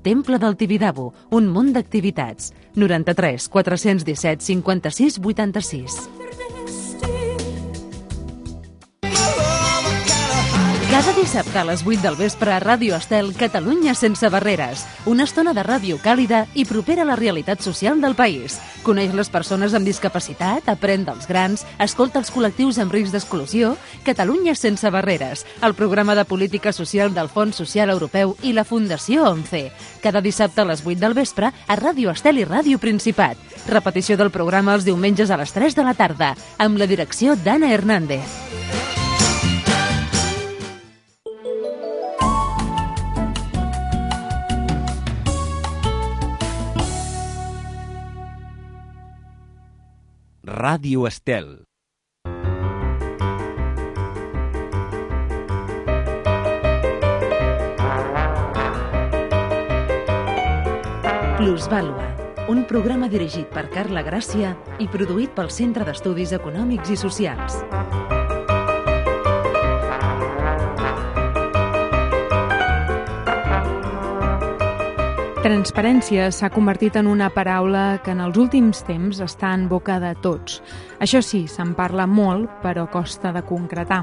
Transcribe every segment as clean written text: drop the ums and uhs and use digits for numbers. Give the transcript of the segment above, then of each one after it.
Temple del Tibidabo, un munt d'activitats. 93 417 56 86. Cada dissabte a les 8 del vespre a Ràdio Estel, Catalunya sense barreres. Una estona de ràdio càlida i propera a la realitat social del país. Coneix les persones amb discapacitat, aprèn dels grans, escolta els col·lectius amb risc d'exclusió. Catalunya sense barreres, el programa de política social del Fons Social Europeu i la Fundació ONCE. Cada dissabte a les 8 del vespre a Ràdio Estel i Ràdio Principat. Repetició del programa els diumenges a les 3 de la tarda, amb la direcció d'Anna Hernández. Ràdio Estel. Plusvàlua, un programa dirigit per Carla Gràcia i produït pel Centre d'Estudis Econòmics i Socials. Transparència s'ha convertit en una paraula que en els últims temps està en boca de tots. Això sí, se'n parla molt, però costa de concretar.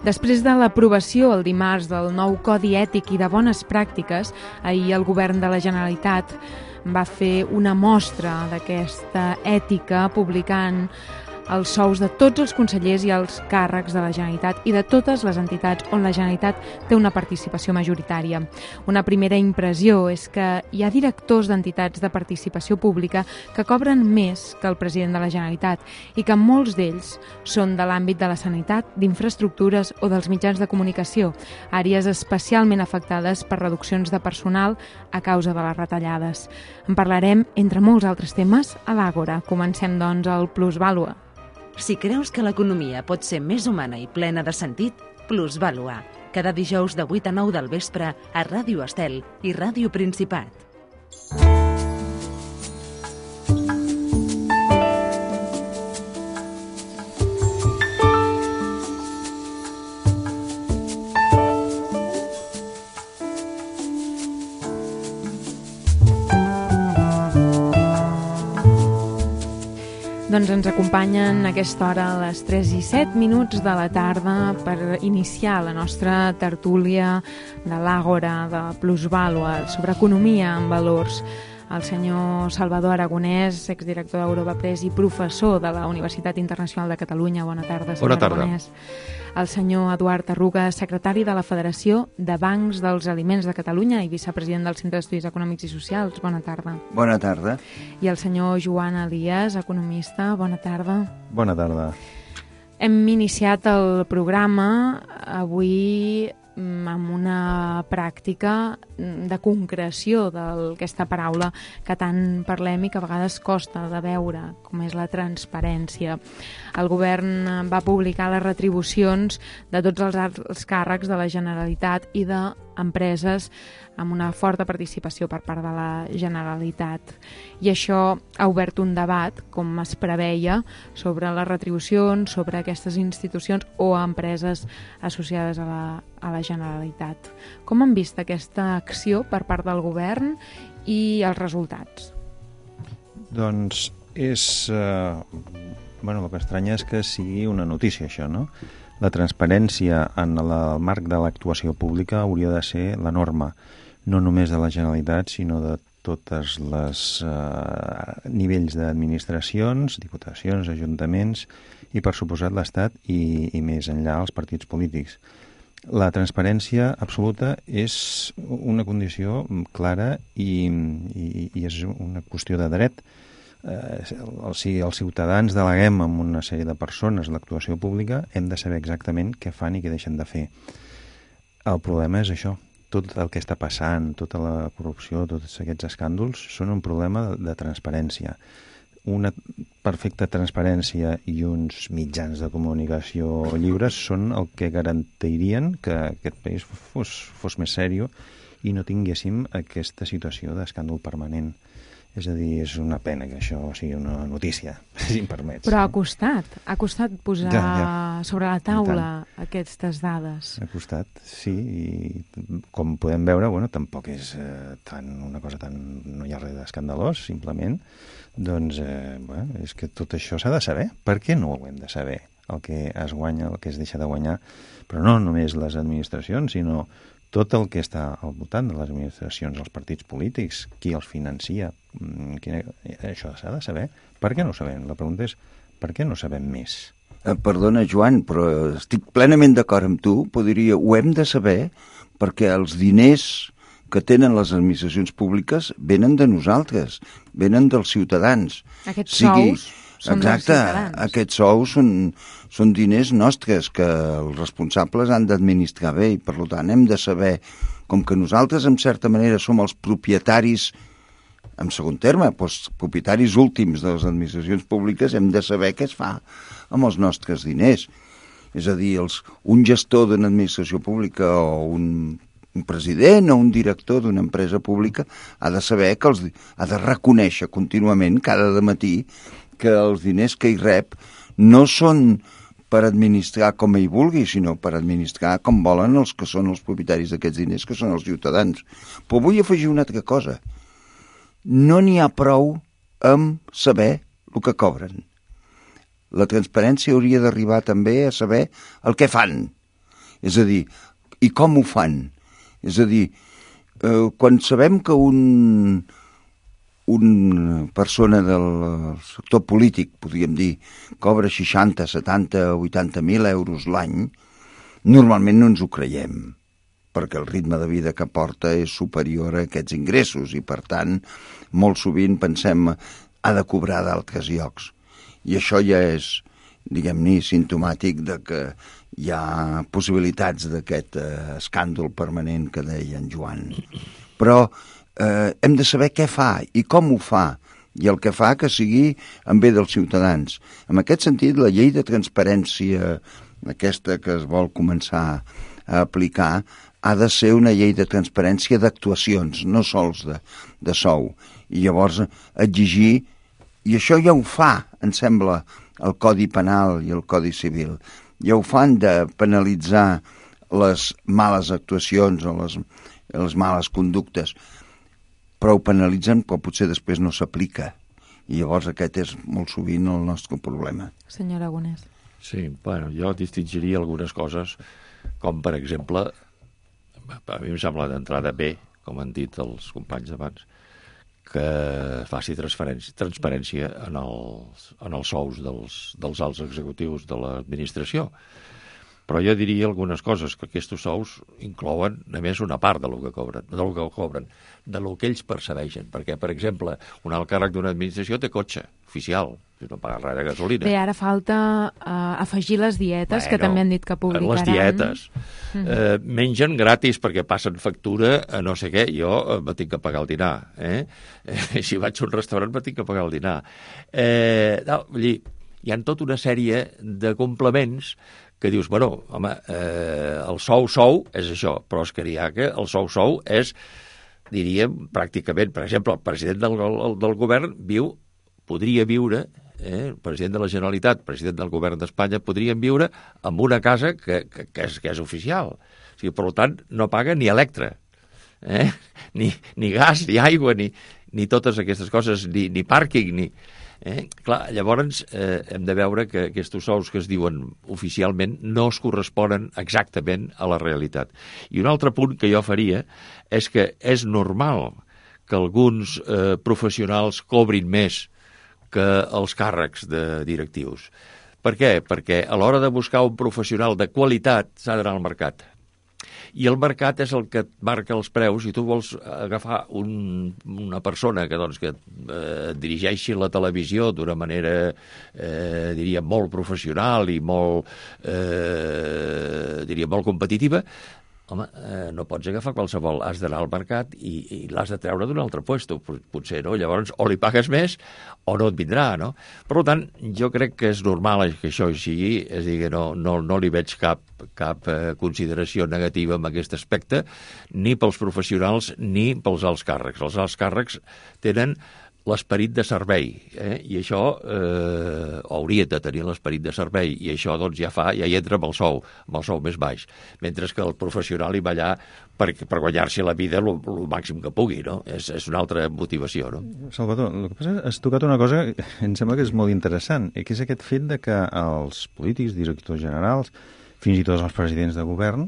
Després de l'aprovació el dimarts del nou Codi Ètic i de Bones Pràctiques, ahir el Govern de la Generalitat va fer una mostra d'aquesta ètica publicant els sous de tots els consellers i els càrrecs de la Generalitat i de totes les entitats on la Generalitat té una participació majoritària. Una primera impressió és que hi ha directors d'entitats de participació pública que cobren més que el president de la Generalitat i que molts d'ells són de l'àmbit de la sanitat, d'infraestructures o dels mitjans de comunicació, àrees especialment afectades per reduccions de personal a causa de les retallades. En parlarem, entre molts altres temes, a l'Àgora. Comencem, doncs, el Plusvàlua. Si creus que l'economia pot ser més humana i plena de sentit, Plusvàlua. Cada dijous de 8 a 9 del vespre a Ràdio Estel i Ràdio Principat. Doncs ens acompanyen a aquesta hora a les 3:07 de la tarda per iniciar la nostra tertúlia de l'Àgora de Plusvàlua sobre economia en valors. El senyor Salvador Aragonès, exdirector d'Europa Press i professor de la Universitat Internacional de Catalunya. Bona tarda, senyor Aragonès. El senyor Eduard Arruga, secretari de la Federació de Bancs dels Aliments de Catalunya i vicepresident del Centre d'Estudis Econòmics i Socials. Bona tarda. Bona tarda. I el senyor Joan Elias, economista. Bona tarda. Bona tarda. Hem iniciat el programa avui amb una pràctica de concreció d'aquesta paraula que tant parlem i que a vegades costa de veure, com és la transparència. El govern va publicar les retribucions de tots els alts càrrecs de la Generalitat i d'empreses amb una forta participació per part de la Generalitat. I això ha obert un debat, com es preveia, sobre les retribucions, sobre aquestes institucions o empreses associades a la Generalitat. Com han vist aquesta acció per part del govern i els resultats? Doncs és... el que estranya és que sigui una notícia, això, no? La transparència en el marc de l'actuació pública hauria de ser la norma, no només de la Generalitat, sinó de tots els nivells d'administracions, diputacions, ajuntaments i, per suposat, l'Estat i més enllà els partits polítics. La transparència absoluta és una condició clara i és una qüestió de dret. Si els ciutadans deleguem en una sèrie de persones l'actuació pública, hem de saber exactament què fan i què deixen de fer. El problema és això. Tot el que està passant, tota la corrupció, tots aquests escàndols, són un problema de transparència. Una perfecta transparència i uns mitjans de comunicació lliures són el que garantirien que aquest país fos més sèrio i no tinguéssim aquesta situació d'escàndol permanent. És a dir, és una pena que això sigui una notícia, si em permets. Però ha costat posar sobre la taula aquestes dades. Ha costat, sí, i com podem veure, bueno, tampoc és una cosa tan... no hi ha res d'escandalós, simplement, doncs, bueno, és que tot això s'ha de saber. Per què no ho hem de saber? El que es guanya, el que es deixa de guanyar, però no només les administracions, sinó tot el que està al voltant de les administracions, els partits polítics, qui els financia, això s'ha de saber. Per què no ho sabem? La pregunta és, per què no sabem més? Perdona, Joan, però estic plenament d'acord amb tu. Ho hem de saber perquè els diners que tenen les administracions públiques venen de nosaltres, venen dels ciutadans. Aquests sous són dels ciutadans. Exacte, aquests sous són diners nostres que els responsables han d'administrar bé i, per tant, hem de saber, com que nosaltres, en certa manera, som els propietaris, en segon terme, doncs, propietaris últims de les administracions públiques, hem de saber què es fa amb els nostres diners. És a dir, un gestor d'una administració pública o un president o un director d'una empresa pública ha de saber que ha de reconèixer contínuament, cada matí, que els diners que hi rep no són per administrar com ell vulgui, sinó per administrar com volen els que són els propietaris d'aquests diners, que són els ciutadans. Però vull afegir una altra cosa. No n'hi ha prou amb saber el que cobren. La transparència hauria d'arribar també a saber el que fan. És a dir, i com ho fan. És a dir, quan sabem que una persona del sector polític, podríem dir, cobra 60, 70, 80.000 euros l'any, normalment no ens ho creiem, perquè el ritme de vida que porta és superior a aquests ingressos i, per tant, molt sovint pensem ha de cobrar d'altres llocs. I això ja és, diguem-ne, simptomàtic de que hi ha possibilitats d'aquest escàndol permanent que deia en Joan. Però hem de saber què fa i com ho fa, i el que fa que sigui en bé dels ciutadans. En aquest sentit, la llei de transparència, aquesta que es vol començar a aplicar, ha de ser una llei de transparència d'actuacions, no sols de sou. I llavors exigir, i això ja ho fa, em sembla, el Codi Penal i el Codi Civil, ja ho fan de penalitzar les males actuacions o les males conductes, però ho penalitzen, però potser després no s'aplica. I llavors aquest és molt sovint el nostre problema. Senyor Aragonès. Sí, bueno, jo distingiria algunes coses, com per exemple, a mi em sembla d'entrada bé, com han dit els companys abans, que faci transparència en els sous dels alts executius de l'administració. Però jo diria algunes coses, que aquests sous inclouen només una part del que cobren, del que ells percebeixen. Perquè, per exemple, un alt càrrec d'una administració té cotxe oficial, no paga res de gasolina. Bé, ara falta afegir les dietes, que també han dit que publicaran. Les dietes. Mengen gratis perquè passen factura a no sé què. Jo me tinc que pagar el dinar. Si vaig a un restaurant me tinc que pagar el dinar. Vull dir, hi ha tota una sèrie de complements que dius, bueno, home, el sou és això, però és que n'hi ha que el sou és, diríem, pràcticament, per exemple, el president del govern podria viure, el president de la Generalitat, president del govern d'Espanya, podrien viure en una casa que és oficial. O sigui, per tant, no paga ni electre, ni gas, ni aigua, ni totes aquestes coses, ni pàrquing, ni... Clar, llavors hem de veure que aquests sous que es diuen oficialment no es corresponen exactament a la realitat. I un altre punt que jo faria és que és normal que alguns professionals cobrin més que els càrrecs de directius. Per què? Perquè a l'hora de buscar un professional de qualitat s'ha d'anar al mercat. I el mercat és el que et marca els preus. Si tu vols agafar una persona que dirigeixi la televisió d'una manera, diria, molt professional i molt competitiva, home, no pots agafar qualsevol, has d'anar al mercat i l'has de treure d'un altre puesto, potser, no? Llavors, o li pagues més o no et vindrà, no? Per tant, jo crec que és normal que això sigui, és a dir, que no li veig cap consideració negativa en aquest aspecte, ni pels professionals ni pels alts càrrecs. Els alts càrrecs tenen l'esperit de servei, i això hauria de tenir l'esperit de servei, i això doncs ja hi entra amb el sou més baix, mentre que el professional hi va allà per guanyar-se la vida el màxim que pugui, no? És una altra motivació, no? Salvador, el que passa és que has tocat una cosa que em sembla que és molt interessant, que és aquest fet de que els polítics, directors generals, fins i tot els presidents de govern,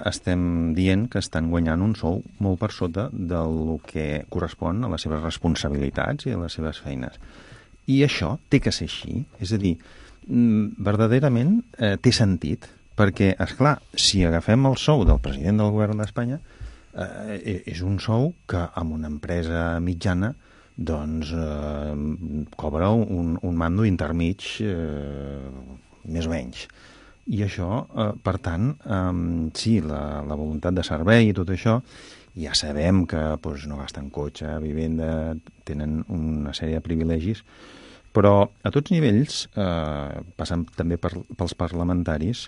estem dient que estan guanyant un sou molt per sota del que correspon a les seves responsabilitats i a les seves feines. I això té que ser així. És a dir, verdaderament té sentit, perquè, esclar, si agafem el sou del president del govern d'Espanya, és un sou que amb una empresa mitjana doncs cobra un mando intermig més o menys. I això, per tant, sí, la voluntat de servei i tot això, ja sabem que no gasten cotxe, vivenda, tenen una sèrie de privilegis, però a tots nivells, passant també pels parlamentaris,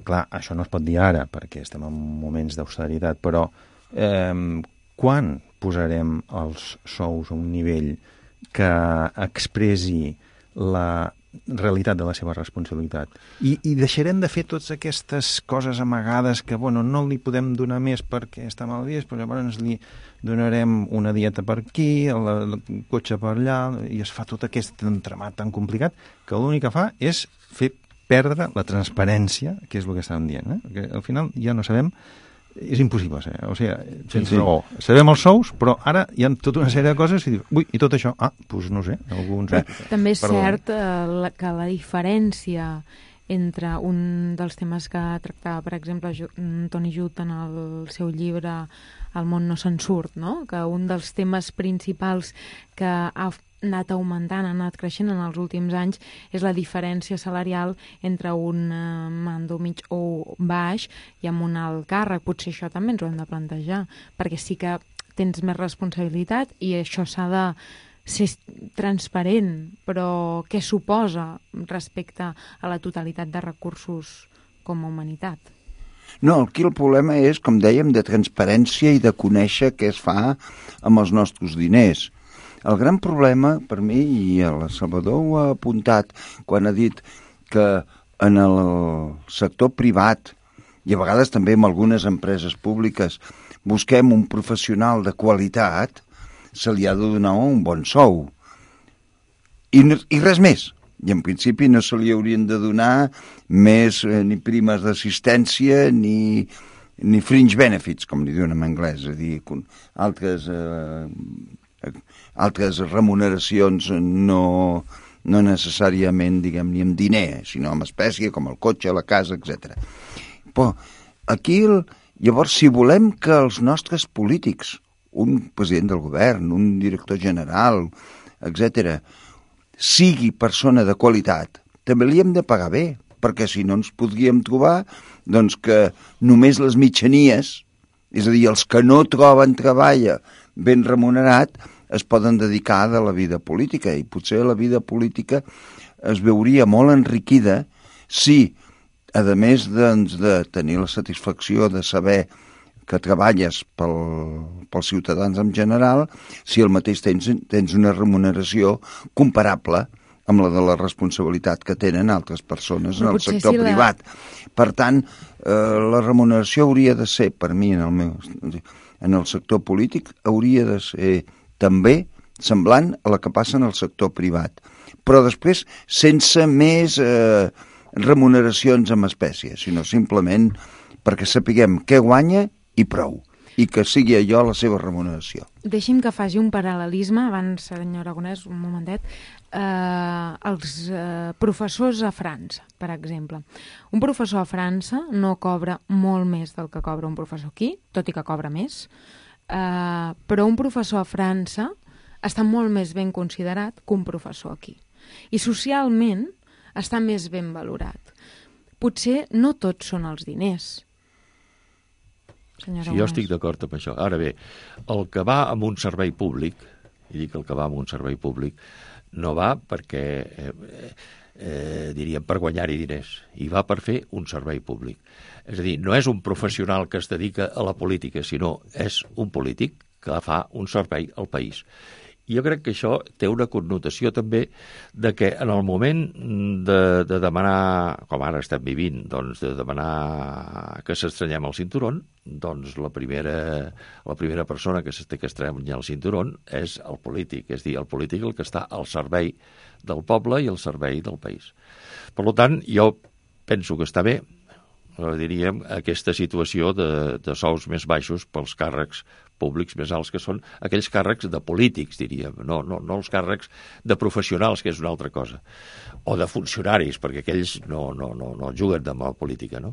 clar, això no es pot dir ara, perquè estem en moments d'austeritat, però quan posarem els sous a un nivell que expressi la realitat de la seva responsabilitat? I deixarem de fer totes aquestes coses amagades que, no li podem donar més perquè està mal vist, però llavors li donarem una dieta per aquí, el cotxe per allà, i es fa tot aquest entramat tan complicat que l'únic que fa és fer perdre la transparència, que és el que estàvem dient, que al final ja no sabem. És impossible, o sigui, sense raó. Sabem els sous, però ara hi ha tota una sèrie de coses i dius, i tot això? Doncs no sé, alguns... També és cert que la diferència entre un dels temes que tractava, per exemple, Toni Judt en el seu llibre El món no se'n surt, no? Que un dels temes principals que ha anat augmentant, ha anat creixent en els últims anys, és la diferència salarial entre un mando mig o baix i amb un alt càrrec. Potser això també ens ho hem de plantejar, perquè sí que tens més responsabilitat i això s'ha de ser transparent, però què suposa respecte a la totalitat de recursos com a humanitat? No, aquí el problema és, com dèiem, de transparència i de conèixer què es fa amb els nostres diners. El gran problema, per mi, i el Salvador ho ha apuntat quan ha dit que en el sector privat, i a vegades també en algunes empreses públiques, busquem un professional de qualitat, se li ha de donar un bon sou. I res més. I en principi no se li haurien de donar més ni primes d'assistència ni fringe benefits, com li diuen en anglès, és a dir, altres remuneracions no necessàriament, diguem, ni amb diner, sinó amb espècie, com el cotxe, la casa, etc. Però aquí, llavors, si volem que els nostres polítics, un president del govern, un director general, etc., sigui persona de qualitat, també li hem de pagar bé, perquè si no ens podríem trobar doncs, que només les mitjanies, és a dir, els que no troben treball ben remunerat, es poden dedicar a la vida política, i potser la vida política es veuria molt enriquida si, a més doncs, de tenir la satisfacció de saber que treballes pels ciutadans en general, si al mateix tens una remuneració comparable amb la de la responsabilitat que tenen altres persones en el sector privat. Per tant, la remuneració hauria de ser, per mi, en el sector polític, hauria de ser també semblant a la que passa en el sector privat. Però després, sense més remuneracions en espècie, sinó simplement perquè sapiguem què guanya i prou, i que sigui allò la seva remuneració. Deixi'm que faci un paral·lelisme, abans, senyor Aragonès, un momentet, els professors a França, per exemple. Un professor a França no cobra molt més del que cobra un professor aquí, tot i que cobra més, però un professor a França està molt més ben considerat que un professor aquí. I socialment està més ben valorat. Potser no tots són els diners. Sí, jo estic d'acord amb això. Ara bé, el que va amb un servei públic, i dic el que va amb un servei públic, no va perquè, diríem, per guanyar-hi diners, i va per fer un servei públic. És a dir, no és un professional que es dedica a la política, sinó és un polític que fa un servei al país. jo crec que això té una connotació també de que en el moment de demanar, com ara estem vivint, doncs de demanar que s'estrenyem el cinturón, doncs la primera persona que s'ha que estrenyar el cinturón és el polític, és a dir, el polític el que està al servei del poble i al servei del país. Per tant, jo penso que està bé, diríem, aquesta situació de sous més baixos pels càrrecs públics més alts, que són aquells càrrecs de polítics, diríem, no els càrrecs de professionals, que és una altra cosa, o de funcionaris, perquè aquells no juguen amb la política, no?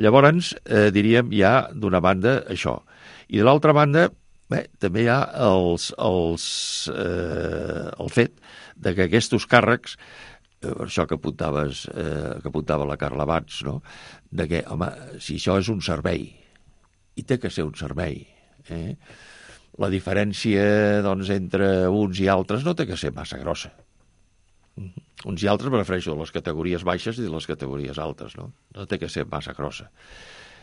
Llavors, diríem, hi ha d'una banda això, i de l'altra banda, també hi ha el fet de que aquests càrrecs, això que apuntava la Carla Abans, no? De que, home, si això és un servei, i té que ser un servei, la diferència doncs, entre uns i altres no té que ser massa grossa. Uns i altres me refereixo a les categories baixes i a les categories altes, no té que ser massa grossa.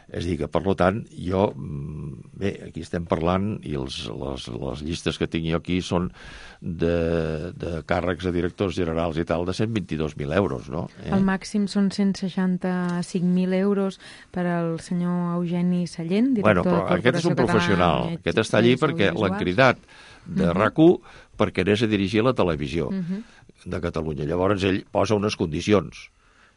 És a dir, que per tant, jo, bé, aquí estem parlant i les llistes que tinc jo aquí són de càrrecs de directors generals i tal de 122.000 euros, no? El màxim són 165.000 euros per al senyor Eugeni Sallent, director de Corporació Catalana. Aquest és un professional, aquest està allí perquè l'han cridat de RAC1 perquè anés a dirigir la televisió de Catalunya. Llavors ell posa unes condicions.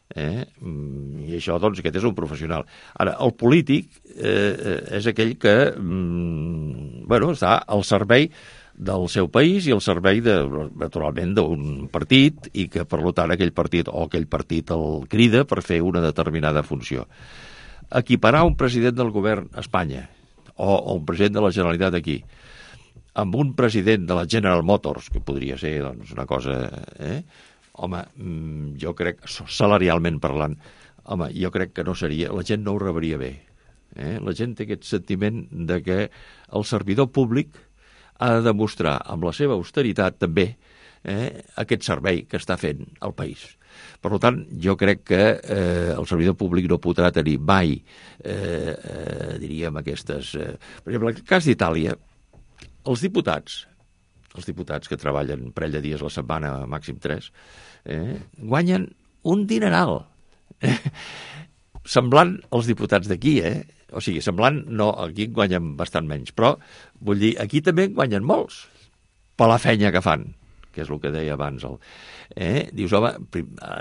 I això, doncs, aquest és un professional. Ara, el polític és aquell que està al servei del seu país i al servei, naturalment, d'un partit, i que, per tant, aquell partit el crida per fer una determinada funció. Equiparar un president del govern a Espanya o un president de la Generalitat aquí amb un president de la General Motors, que podria ser doncs, una cosa... Home, jo crec, salarialment parlant, jo crec que no seria, la gent no ho rebria bé. La gent té aquest sentiment de que el servidor públic ha de demostrar amb la seva austeritat també aquest servei que està fent al país. Per tant, jo crec que el servidor públic no podrà tenir mai, diríem, aquestes... Per exemple, en el cas d'Itàlia, els diputats que treballen un parell de dies a la setmana, màxim 3, guanyen un dineral. Semblant als diputats d'aquí, O sigui, semblant, no, aquí guanyen bastant menys, però, vull dir, aquí també guanyen molts, per la feina que fan, que és el que deia abans. Dius, home,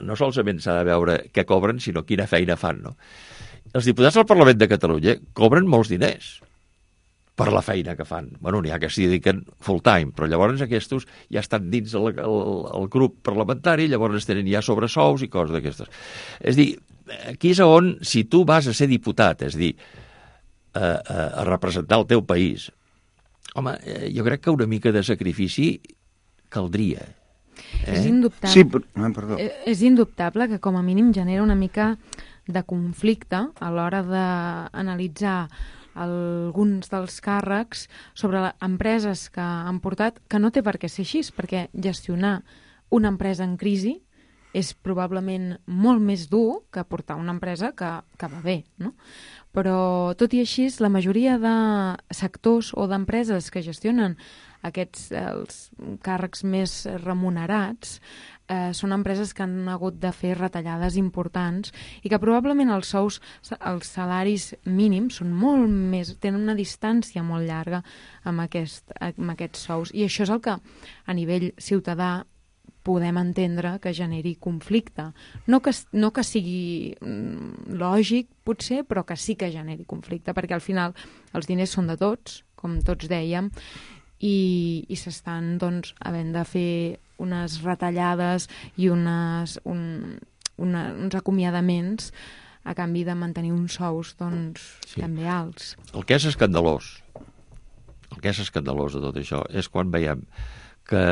no solament s'ha de veure què cobren, sinó quina feina fan, no? Els diputats del Parlament de Catalunya cobren molts diners per la feina que fan. Bueno, n'hi ha que s'hi dediquen full time, però llavors aquests ja estan dins el grup parlamentari, llavors tenen ja sobresous i coses d'aquestes. És a dir, aquí és on, si tu vas a ser diputat, és a dir, a representar el teu país, home, jo crec que una mica de sacrifici caldria. És indubtable. Sí, perdó. És indubtable que com a mínim genera una mica de conflicte a l'hora d'analitzar alguns dels càrrecs sobre empreses que han portat, que no té per què ser així, perquè gestionar una empresa en crisi és probablement molt més dur que portar una empresa que va bé, no? Però, tot i així, la majoria de sectors o d'empreses que gestionen els càrrecs més remunerats són empreses que han hagut de fer retallades importants i que probablement els salaris mínims són molt més, tenen una distància molt llarga amb aquests sous. I això és el que a nivell ciutadà podem entendre que generi conflicte. No que sigui lògic, potser, però que sí que generi conflicte, perquè al final els diners són de tots, com tots dèiem, i s'estan doncs, havent de fer unes retallades i uns acomiadaments a canvi de mantenir uns sous també alts. El que és escandalós de tot això és quan veiem que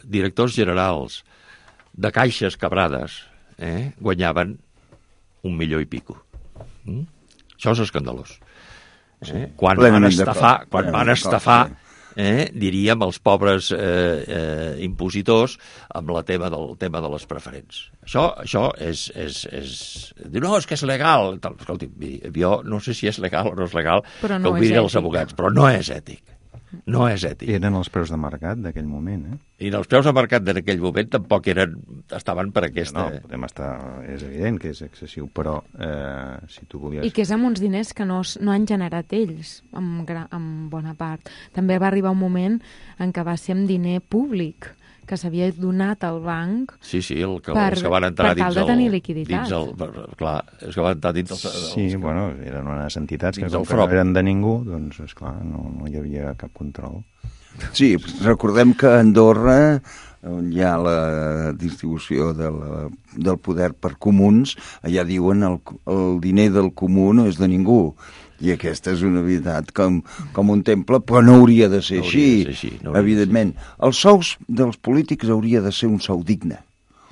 directors generals de caixes quebrades guanyaven 1 milió i pico. Això és escandalós. Quan van estafar diríem, els pobres impositors amb el tema de les preferents. Això és... Diu, no, és que és legal. Escolti, jo no sé si és legal o no és legal, que ho mirin els advocats, però no és ètic. No és ètic. Eren els preus de mercat d'aquell moment, I els preus de mercat d'aquell moment tampoc estaven per aquesta... No, podem estar... És evident que és excessiu, però si tu volies... I que és amb uns diners que no han generat ells, en bona part. També va arribar un moment en què va ser amb diner públic, que s'havia donat al banc els que van entrar per tal de tenir liquiditat. Clar, els que van entrar dins el... Sí, bueno, eren unes entitats que com que no eren de ningú, doncs, esclar, no hi havia cap control. Sí, recordem que a Andorra, on hi ha la distribució del poder per comuns, allà diuen el diner del comú no és de ningú. I aquesta és una veritat com un temple, però no hauria de ser així, evidentment. Els sous dels polítics hauria de ser un sou digne,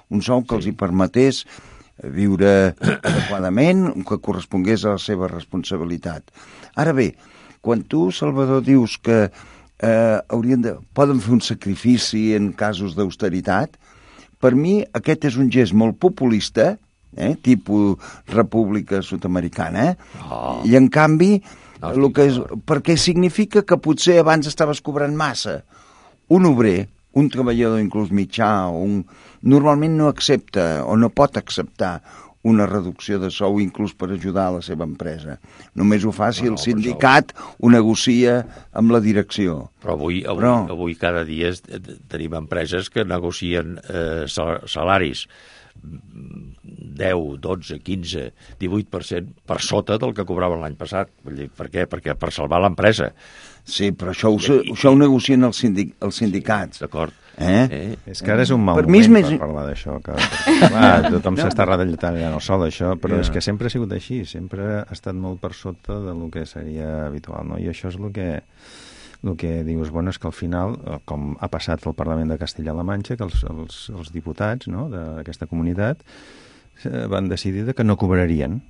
un sou que els hi permetés viure adequadament, que correspongués a la seva responsabilitat. Ara bé, quan tu, Salvador, dius que poden fer un sacrifici en casos d'austeritat, per mi aquest és un gest molt populista, tipus república sud-americana, i en canvi perquè significa que potser abans estaves cobrant massa. Un obrer, un treballador inclús mitjà, normalment no accepta o no pot acceptar una reducció de sou inclús per ajudar a la seva empresa. Només ho fa si el sindicat ho negocia amb la direcció. Però avui cada dia tenim empreses que negocien salaris 10, 12, 15, 18% per sota del que cobraven l'any passat. Per què? Perquè per salvar l'empresa. Sí, però això ho negocien els sindicats. D'acord. És que ara és un mal moment per parlar d'això. Tothom s'està retallant el sol, això, però és que sempre ha sigut així, sempre ha estat molt per sota del que seria habitual, no? I això és el que dius, bueno, és que al final, com ha passat al Parlament de Castella-La Manxa, que els diputats d'aquesta comunitat van decidir que no cobrarien.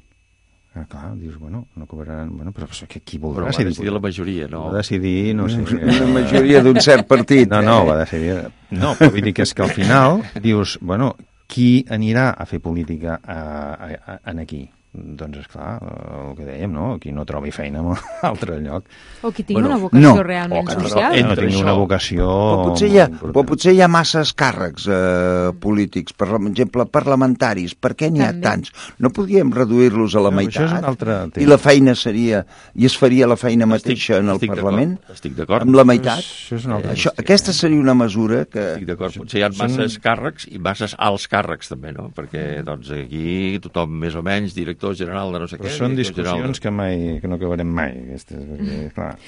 Clar, dius, bueno, no cobraran... Bueno, però qui voldrà ser diputat? Va decidir la majoria, no? Va decidir, no sé... Una majoria d'un cert partit. No, va decidir... No, però vull dir que és que al final dius, bueno, qui anirà a fer política aquí? Doncs, esclar, el que dèiem, no? Qui no trobi feina en un altre lloc. O qui tingui una vocació realment social. No tingui una vocació... Però potser hi ha masses càrrecs polítics, per exemple, parlamentaris. Per què n'hi ha tants? No podríem reduir-los a la meitat? Això és un altre tema. I la feina seria... I es faria la feina mateixa en el Parlament? Estic d'acord. Amb la meitat? Això és un altre Aquesta seria una mesura que... Estic d'acord. Potser hi ha masses càrrecs i masses alts càrrecs, també, no? Perquè, doncs, aquí tothom, més o menys, director general de no sé què... Però són discussions que no acabarem mai, aquestes, perquè, clar...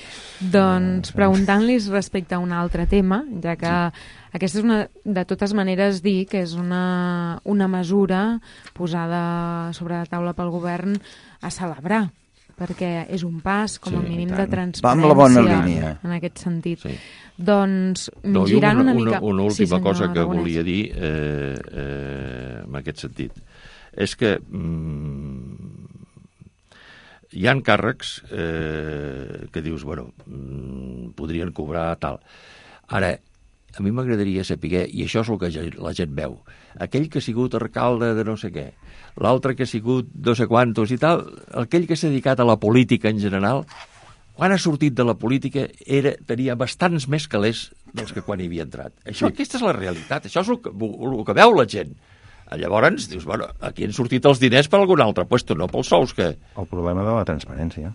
Doncs, preguntant-los respecte a un altre tema, ja que aquesta és una, de totes maneres, dir que és una mesura posada sobre la taula pel govern a celebrar, perquè és un pas, com a mínim, de transparència. Va amb la bona línia. En aquest sentit. Sí. Doncs, girant una mica... Una última cosa que volia dir en aquest sentit. És que hi ha càrrecs que dius, bueno, podrien cobrar tal. Ara, a mi m'agradaria saber, i això és el que la gent veu, aquell que ha sigut alcalde de no sé què, l'altre que ha sigut no sé quantos i tal, aquell que s'ha dedicat a la política en general, quan ha sortit de la política tenia bastants més calés dels que quan hi havia entrat. Aquesta és la realitat, això és el que veu la gent. Llavors, dius, bueno, aquí han sortit els diners per algun altre puesto, no pels sous que... El problema de la transparència.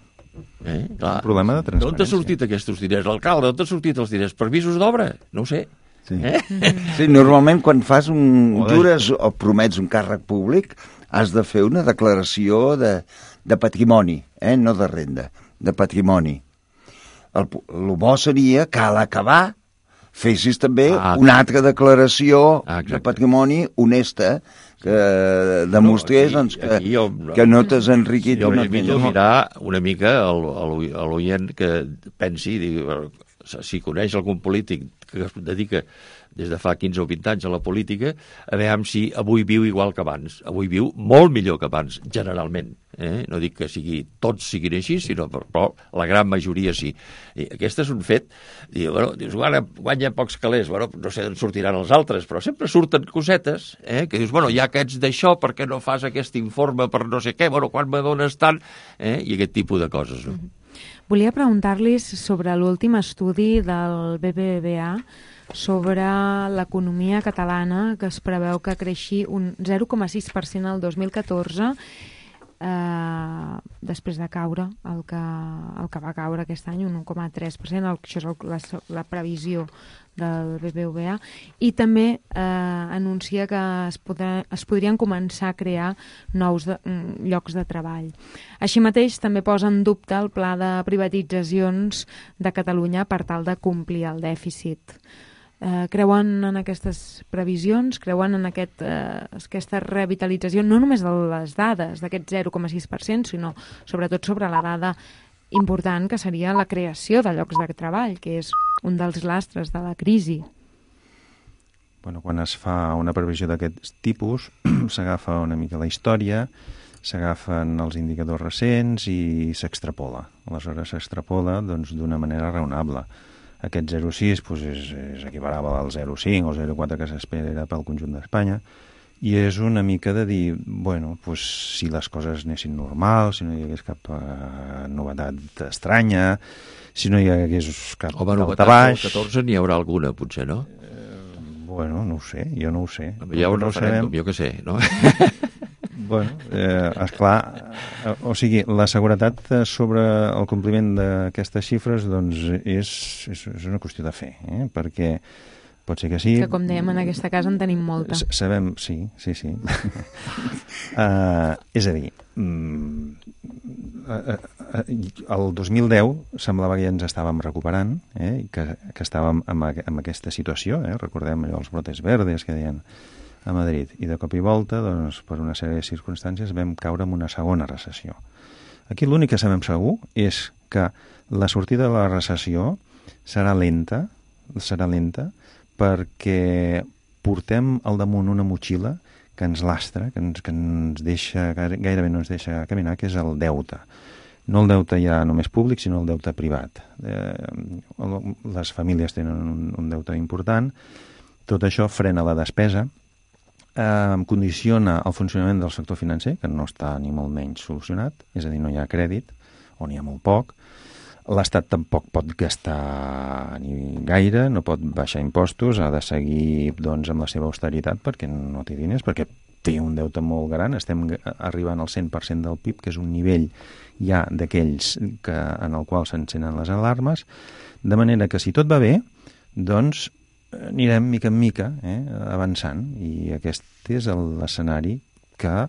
Clar. El problema de transparència. D'on t'ha sortit aquests diners? L'alcalde, d'on t'ha sortit els diners? Per visos d'obra? No ho sé. Sí. Sí, normalment quan fas jures o promets un càrrec públic has de fer una declaració de patrimoni, no de renda, de patrimoni. El bo seria que a l'acabar fessis també una altra declaració de patrimoni honesta que demostrés que no t'has enriquit. Jo m'invito a mirar una mica a l'oient que pensi, si coneix algun polític que es dedica des de fa 15 o 20 anys a la política, a veure si avui viu igual que abans. Avui viu molt millor que abans, generalment. No dic que tots siguin així, sinó però la gran majoria sí. I aquest és un fet. Dius, guanya pocs calés, no sé d'on sortiran els altres, però sempre surten cosetes, que dius, hi ha aquests d'això, per què no fas aquest informe per no sé què, quan me dones tant, i aquest tipus de coses, no? Volia preguntar-li sobre l'últim estudi del BBVA sobre l'economia catalana, que es preveu que creixi un 0,6% el 2014, després de caure el que va caure aquest any, un 1,3%, això és la previsió del BBVA, i també anuncia que es podrien començar a crear nous llocs de treball. Així mateix també posa en dubte el pla de privatitzacions de Catalunya per tal de complir el dèficit. Creuen en aquestes previsions? Creuen en aquesta revitalització, no només de les dades d'aquest 0,6%, sinó sobretot sobre la dada important que seria la creació de llocs de treball, que és un dels lastres de la crisi? Bueno, quan es fa una previsió d'aquest tipus, s'agafa una mica la història, s'agafen els indicadors recents i s'extrapola. Aleshores s'extrapola d'una manera raonable. Aquest 0,6 és equiparable al 0,5 o 0,4 que s'espera pel conjunt d'Espanya, i és una mica de dir, si les coses anessin normals, si no hi hagués cap novetat estranya, si no hi hagués cap daltabaix... Home, novetat del 14 n'hi haurà alguna, potser, no? No ho sé, jo no ho sé. Hi ha un referèndum, jo què sé, no? Esclar, o sigui, la seguretat sobre el compliment d'aquestes xifres és una qüestió de fe, perquè pot ser que sí... Que, com dèiem, en aquesta casa en tenim molta. Sabem, sí. És a dir, el 2010 semblava que ja ens estàvem recuperant, que estàvem en aquesta situació, recordem allò, els brotes verdes que deien a Madrid, i de cop i volta, per una sèrie de circumstàncies, vam caure en una segona recessió. Aquí l'únic que sabem segur és que la sortida de la recessió serà lenta perquè portem al damunt una motxilla que ens lastra, que ens deixa, gairebé no ens deixa caminar, que és el deute. No el deute ja només públic, sinó el deute privat. Les famílies tenen un deute important, tot això frena la despesa, condiciona el funcionament del sector financer, que no està ni molt menys solucionat, és a dir, no hi ha crèdit, o n'hi ha molt poc. L'Estat tampoc pot gastar ni gaire, no pot baixar impostos, ha de seguir amb la seva austeritat perquè no té diners, perquè té un deute molt gran, estem arribant al 100% del PIB, que és un nivell ja d'aquells en el qual s'encenen les alarmes, de manera que si tot va bé, anirem mica en mica avançant, i aquest és l'escenari que,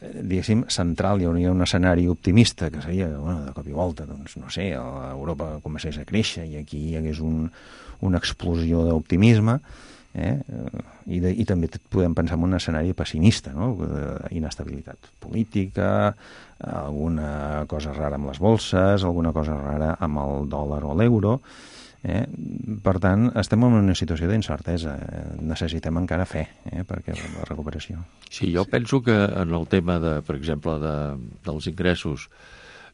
diguéssim, central. Hi hauria un escenari optimista que seria, de cop i volta, Europa comencés a créixer i aquí hi hagués una explosió d'optimisme, i també podem pensar en un escenari pessimista, inestabilitat política, alguna cosa rara amb les bolses, alguna cosa rara amb el dòlar o l'euro. Per tant, estem en una situació d'incertesa. Necessitem encara fe perquè la recuperació. Sí, jo penso que en el tema, per exemple, dels ingressos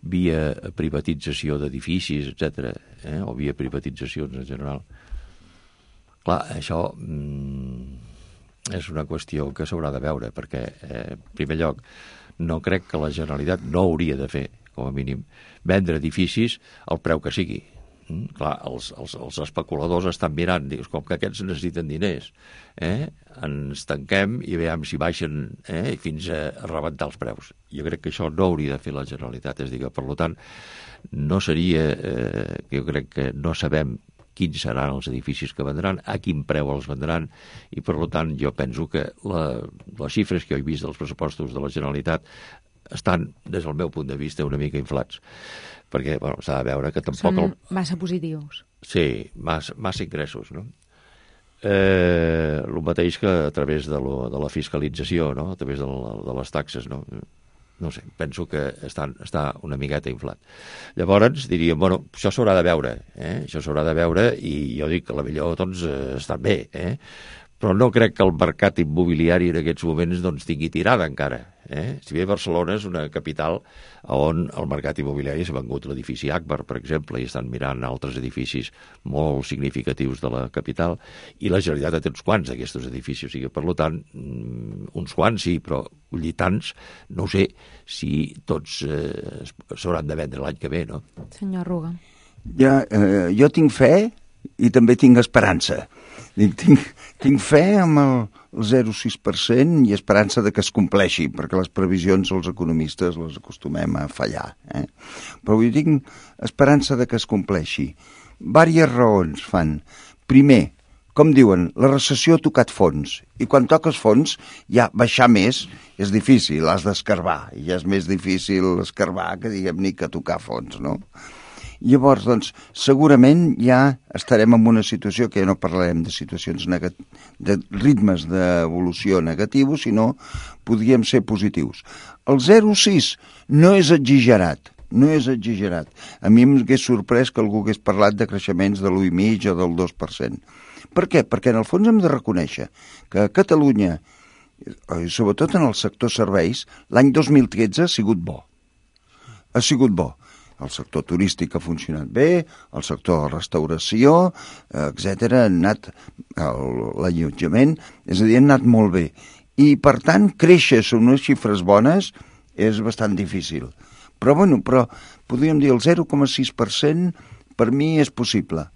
via privatització d'edificis, etc., o via privatitzacions en general, clar, això és una qüestió que s'haurà de veure, perquè, en primer lloc, no crec que la Generalitat no hauria de fer, com a mínim, vendre edificis al preu que sigui. Clar, els especuladors estan mirant, dius, com que aquests necessiten diners, ens tanquem i veiem si baixen fins a rebentar els preus. Jo crec que això no hauria de fer la Generalitat, és a dir, que, per tant, no seria, jo crec que no sabem quins seran els edificis que vendran, a quin preu els vendran, i per tant jo penso que les xifres que jo he vist dels pressupostos de la Generalitat estan, des del meu punt de vista, una mica inflats, perquè s'ha de veure que tampoc... Són massa positius. Sí, massa ingressos, no? El mateix que a través de la fiscalització, no? A través de les taxes, no? No sé, penso que està una miqueta inflat. Llavors diríem, això s'haurà de veure, això s'haurà de veure, i jo dic que potser estan bé, però no crec que el mercat immobiliari en aquests moments tingui tirada encara. Si bé Barcelona és una capital on el mercat immobiliari s'ha vengut l'edifici Akbar, per exemple, i estan mirant altres edificis molt significatius de la capital, i la Generalitat té uns quants d'aquests edificis. O sigui, per tant, uns quants sí, però tants, no sé si tots s'hauran de vendre l'any que ve, no? Senyor Ruga. Jo tinc fe i també tinc esperança. Tinc fe amb el 0,6% i esperança de que es compleixi, perquè les previsions els economistes les acostumem a fallar. Però jo tinc esperança de que es compleixi. Vàries raons fan. Primer, com diuen, la recessió ha tocat fons, i quan toques fons, ja baixar més és difícil, has d'escarbar, i ja és més difícil escarbar que, diguem-ne, que tocar fons, no? Llavors, doncs, segurament ja estarem en una situació que ja no parlarem de situacions de ritmes d'evolució negatius, sinó podríem ser positius. El 0,6 no és exagerat, no és exagerat. A mi m'hagués sorprès que algú hagués parlat de creixements de l'1,5 o del 2%. Per què? Perquè en el fons hem de reconèixer que a Catalunya, sobretot en el sector serveis, l'any 2013 ha sigut bo. Ha sigut bo. El sector turístic ha funcionat bé, el sector de restauració, etc. ha anat, l'allotjament, és a dir, ha anat molt bé. I, per tant, créixer sobre unes xifres bones és bastant difícil. Però podríem dir el 0,6% per mi és possible.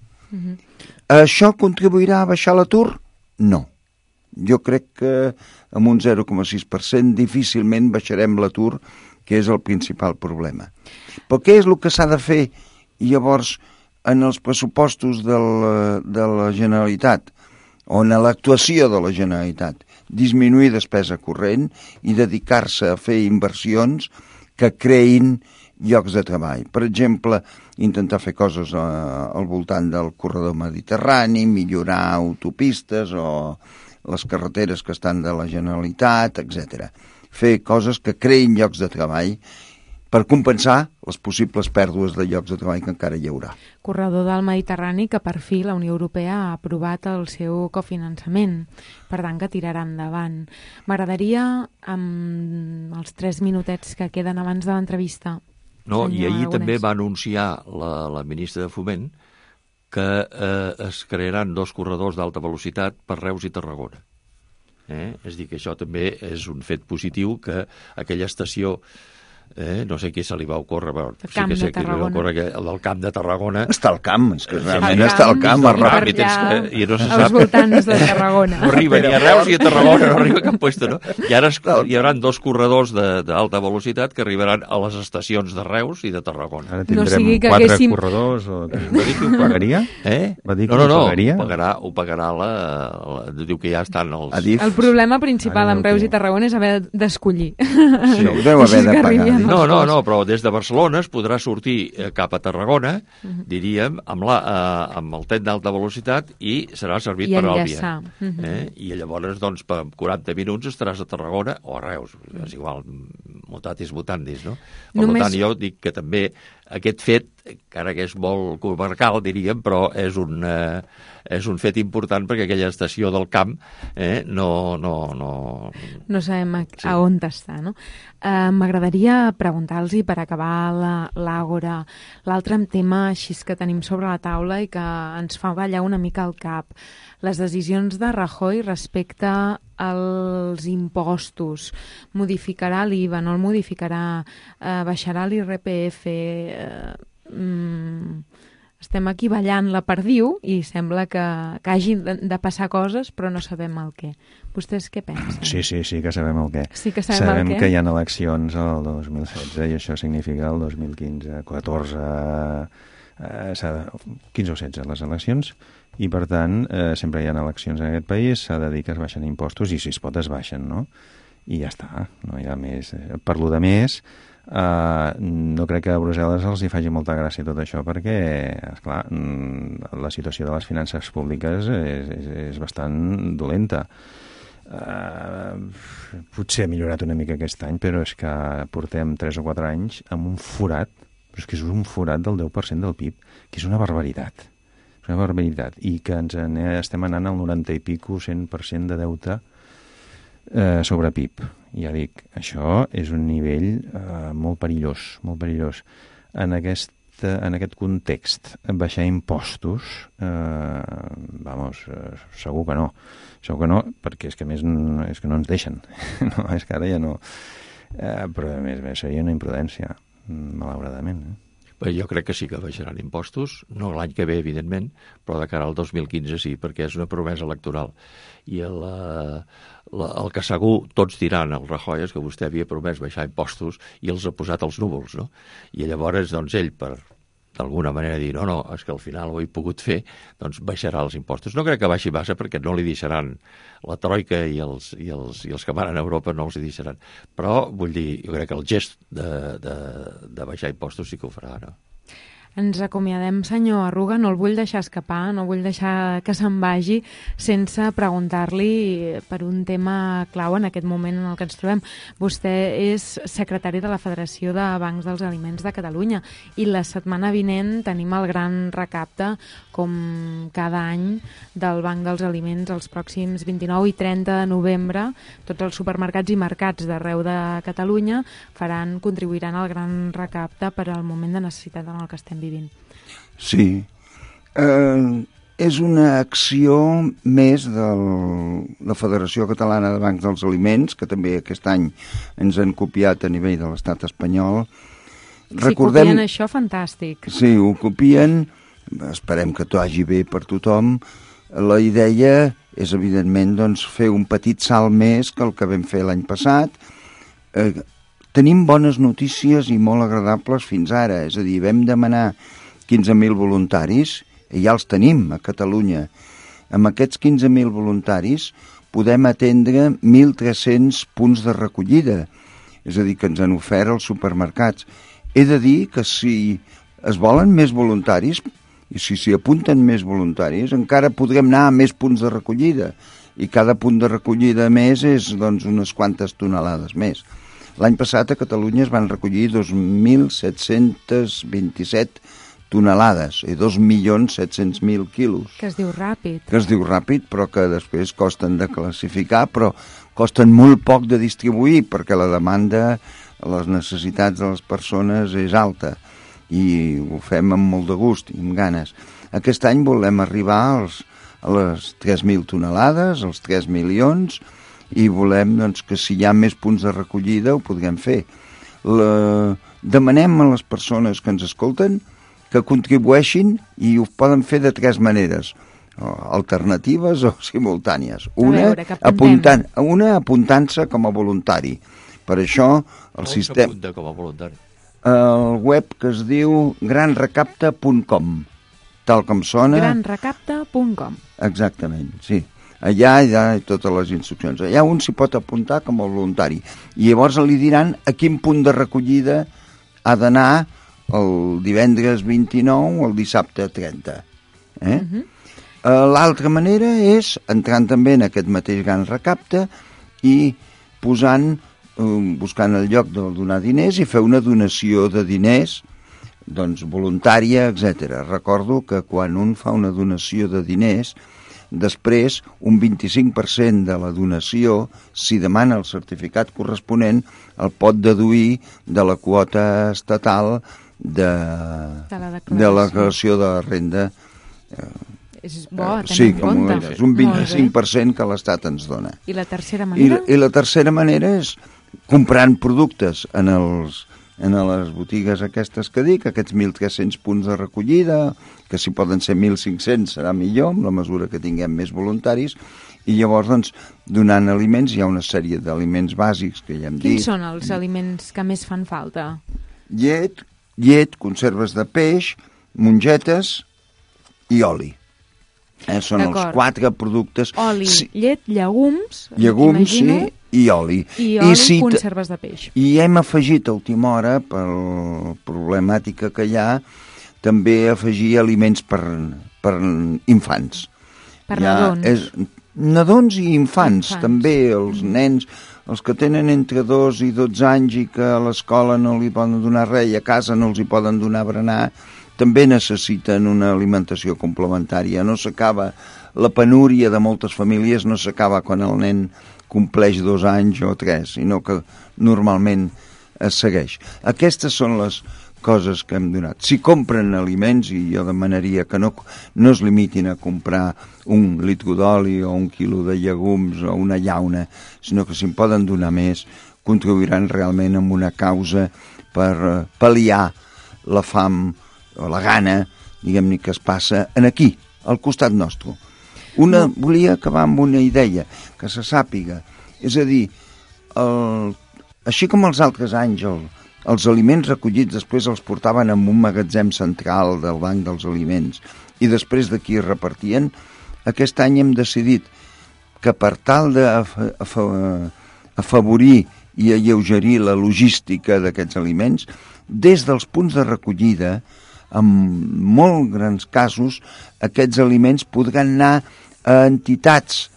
Això contribuirà a baixar l'atur? No. Jo crec que amb un 0,6% difícilment baixarem l'atur, que és el principal problema. Però què és el que s'ha de fer llavors en els pressupostos de la Generalitat, o en l'actuació de la Generalitat? Disminuir despesa corrent i dedicar-se a fer inversions que creïn llocs de treball. Per exemple, intentar fer coses al voltant del corredor mediterrani, millorar autopistes o les carreteres que estan de la Generalitat, etc. Fer coses que creïn llocs de treball per compensar les possibles pèrdues de llocs de treball que encara hi haurà. Corredor del Mediterrani que per fi la Unió Europea ha aprovat el seu cofinançament, per tant que tirarà endavant. M'agradaria, amb els 3 minutets que queden abans de l'entrevista... No, i ahir també va anunciar la ministra de Foment que es crearan 2 corredors d'alta velocitat per Reus i Tarragona. És a dir, que això també és un fet positiu, que aquella estació, no sé què se li va ocórrer, el camp de Tarragona. El camp de Tarragona. Està al camp, és que realment està al camp. I no se sap. Als voltants de Tarragona. No arriba ni a Reus ni a Tarragona, no arriba a cap puesto, no? I ara hi haurà 2 corredors d'alta velocitat que arribaran a les estacions de Reus i de Tarragona. Ara tindrem 4 corredors, o... Va dir que ho pagaria? Va dir que ho pagaria? Ho pagarà diu que ja estan els... El problema principal amb Reus i Tarragona és haver d'escollir. Sí, ho deu haver de pagar. No, però des de Barcelona es podrà sortir cap a Tarragona, diríem, amb el tren d'alta velocitat i serà servit per Àlvia. I llavors, doncs, per 40 minuts estaràs a Tarragona o a Reus. És igual, mutatis mutandis, no? Per tant, jo dic que també aquest fet, encara que és molt comarcal, diríem, però és un fet important perquè aquella estació del camp no sabem a on està, no? M'agradaria preguntar-los, per acabar l'àgora, l'altre tema així que tenim sobre la taula i que ens fa ballar una mica el cap. Les decisions de Rajoy respecte als impostos. Modificarà l'IVA, no el modificarà, baixarà l'IRPF... Estem aquí ballant la perdiu i sembla que hagi de passar coses, però no sabem el què. Vostès què pensen? Sí que sabem el què. Sí que sabem el què? Que hi ha eleccions el 2016 i això significa el 2015, 14, 15 o 16 les eleccions, i per tant sempre hi ha eleccions en aquest país, s'ha de dir que es baixen impostos i si es pot es baixen, no? I ja està, no hi ha més. Per lo de més, no crec que a Brussel·les els hi faci molta gràcia tot això perquè, esclar, la situació de les finances públiques és bastant dolenta. Potser ha millorat una mica aquest any, però és que portem 3 o 4 anys amb un forat, però és que és un forat del 10% del PIB, que és una barbaritat. És una barbaritat. I que estem anant al 90 i pico, 100% de deute sobre PIB. Ja dic, això és un nivell molt perillós, molt perillós. En aquest context, baixar impostos, segur que no. Segur que no, perquè és que a més és que no ens deixen. No, és que ara ja no... però a més seria una imprudència, malauradament. Jo crec que sí que baixaran impostos, no l'any que ve, evidentment, però de cara al 2015 sí, perquè és una promesa electoral. I el que segur tots diran al Rajoy és que vostè havia promès baixar impostos i els ha posat als núvols, no? I llavors, doncs, ell, per d'alguna manera dir, no, és que al final ho he pogut fer, doncs baixarà els impostos. No crec que baixi massa perquè no li deixaran la troika i els que van a Europa no els hi deixaran. Però, vull dir, jo crec que el gest de baixar impostos sí que ho farà, no? Ens acomiadem, senyor Arruga, no el vull deixar escapar, no vull deixar que se'n vagi sense preguntar-li per un tema clau en aquest moment en el que ens trobem. Vostè és secretari de la Federació de Bancs dels Aliments de Catalunya i la setmana vinent tenim el gran recapte, com cada any, del Banc dels Aliments els pròxims 29 i 30 de novembre. Tots els supermercats i mercats d'arreu de Catalunya contribuiran al gran recapte per al moment de necessitat en el que estem vivint. Sí. És una acció més de la Federació Catalana de Bancs dels Aliments, que també aquest any ens han copiat a nivell de l'estat espanyol. Copien això, fantàstic. Sí, ho copien, esperem que t'ho hagi bé per tothom. La idea és, evidentment, doncs, fer un petit salt més que el que vam fer l'any passat. Tenim bones notícies i molt agradables fins ara, és a dir, vam demanar 15.000 voluntaris i ja els tenim a Catalunya. Amb aquests 15.000 voluntaris podem atendre 1.300 punts de recollida, és a dir, que ens han ofert els supermercats. He de dir que si es volen més voluntaris i si s'hi apunten més voluntaris, encara podrem anar a més punts de recollida i cada punt de recollida més és doncs, unes quantes tonelades més. L'any passat a Catalunya es van recollir 2.727 tonelades i 2.700.000 quilos. Que es diu ràpid. Que es diu ràpid, però que després costen de classificar, però costen molt poc de distribuir perquè la demanda, les necessitats de les persones és alta i ho fem amb molt de gust i amb ganes. Aquest any volem arribar a les 3.000 tonelades, als 3 milions, i volem doncs, que si hi ha més punts de recollida ho podrem fer. Demanem a les persones que ens escolten que contribueixin i ho poden fer de 3 maneres, alternatives o simultànies. Una apuntant-se com a voluntari. Per això el sistema... On s'apunta com a voluntari? El web que es diu granrecapta.com, tal com sona. Granrecapta.com. Exactament, sí. Allà hi ha totes les instruccions. Allà un s'hi pot apuntar com a voluntari. I llavors li diran a quin punt de recollida ha d'anar el divendres 29 o el dissabte 30. L'altra manera és entrant també en aquest mateix gran recapte i buscant el lloc de donar diners i fer una donació de diners doncs, voluntària, etc. Recordo que quan un fa una donació de diners, després, un 25% de la donació, si demana el certificat corresponent, el pot deduir de la quota estatal de la declaració de renda. És bo, sí, com és un 25% que l'Estat ens dona. I la tercera manera? I la tercera manera és comprant productes en les botigues aquestes que dic, aquests 1.300 punts de recollida, que si poden ser 1.500 serà millor, amb la mesura que tinguem més voluntaris, i llavors, doncs, donant aliments, hi ha una sèrie d'aliments bàsics que ja hem dit. Quins són els aliments que més fan falta? Llet, conserves de peix, mongetes i oli. Són els 4 productes. Oli, llet, llegums, sí, i oli. I oli, conserves de peix. I hem afegit a última hora, per la problemàtica que hi ha, també afegir aliments per infants. Per nadons. Nadons i infants, també els nens, els que tenen entre 2 i 12 anys i que a l'escola no li poden donar res i a casa no els hi poden donar berenar, també necessiten una alimentació complementària. No s'acaba, la penúria de moltes famílies no s'acaba quan el nen compleix 2 anys o 3, sinó que normalment es segueix. Aquestes són les coses que hem donat. Si compren aliments, i jo demanaria que no es limitin a comprar 1 litre d'oli o 1 quilo de llegums o una llauna, sinó que si en poden donar més, contribuiran realment amb una causa per pal·liar la fam o la gana, diguem-ne, que es passa aquí, al costat nostre. Volia acabar amb una idea, que se sàpiga. És a dir, així com els altres anys els aliments recollits després els portaven en un magatzem central del Banc dels Aliments i després d'aquí es repartien, aquest any hem decidit que per tal d'afavorir i alleugerir la logística d'aquests aliments, des dels punts de recollida, en molt grans casos, aquests aliments podran anar a entitats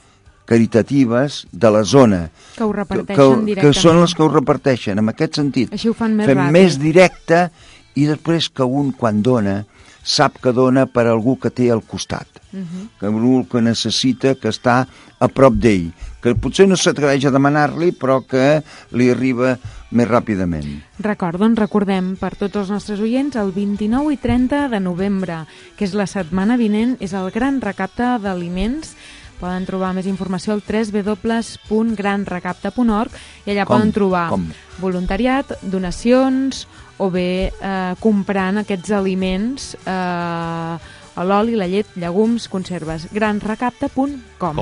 caritatives de la zona, que ho reparteixen directament. Que són les que ho reparteixen. En aquest sentit, així ho fan més fem ràpid. més directe i després que un, quan dona, sap que dona per algú que té al costat, que algú que necessita, que està a prop d'ell, que potser no s'atreveix a demanar-li, però que li arriba més ràpidament. Recordem per tots els nostres oients, el 29 i 30 de novembre, que és la setmana vinent, és el gran recapte d'aliments. Poden trobar més informació al www.granrecapte.org i allà poden trobar voluntariat, donacions o bé comprant aquests aliments, l'oli, la llet, llegums, conserves. granrecapte.com.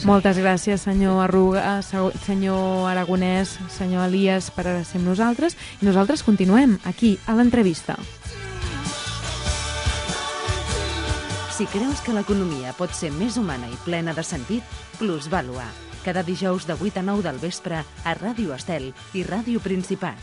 Moltes gràcies, senyor Arruga, senyor Aragonès, senyor Elias, per ser amb nosaltres. I nosaltres continuem aquí, a l'entrevista. Si creus que l'economia pot ser més humana i plena de sentit, Plusvàlua. Cada dijous de 8 a 9 del vespre a Ràdio Estel i Ràdio Principat.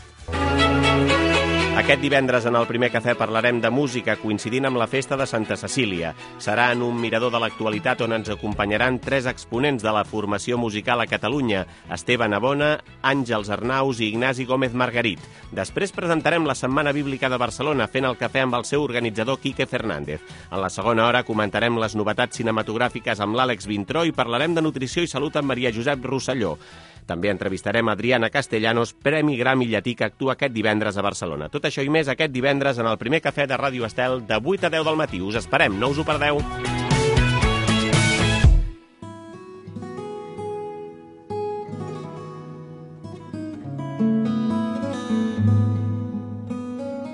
Aquest divendres en el primer cafè parlarem de música coincidint amb la festa de Santa Cecília. Serà en un mirador de l'actualitat on ens acompanyaran 3 exponents de la formació musical a Catalunya: Esteve Navona, Àngels Arnaus i Ignasi Gómez Margarit. Després presentarem la Setmana Bíblica de Barcelona fent el cafè amb el seu organitzador Quique Fernández. En la segona hora comentarem les novetats cinematogràfiques amb l'Àlex Vintró i parlarem de nutrició i salut amb Maria Josep Rosselló. També entrevistarem Adriana Castellanos, Premi Grammy Llatí, que actua aquest divendres a Barcelona. Tot això i més aquest divendres en el primer cafè de Ràdio Estel de 8 a 10 del matí. Us esperem, no us ho perdeu.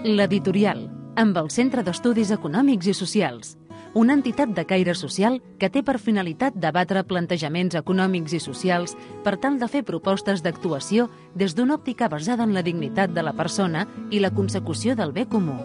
L'Editorial, amb el Centre d'Estudis Econòmics i Socials. Una entitat de caire social que té per finalitat debatre plantejaments econòmics i socials per tal de fer propostes d'actuació des d'una òptica basada en la dignitat de la persona i la consecució del bé comú.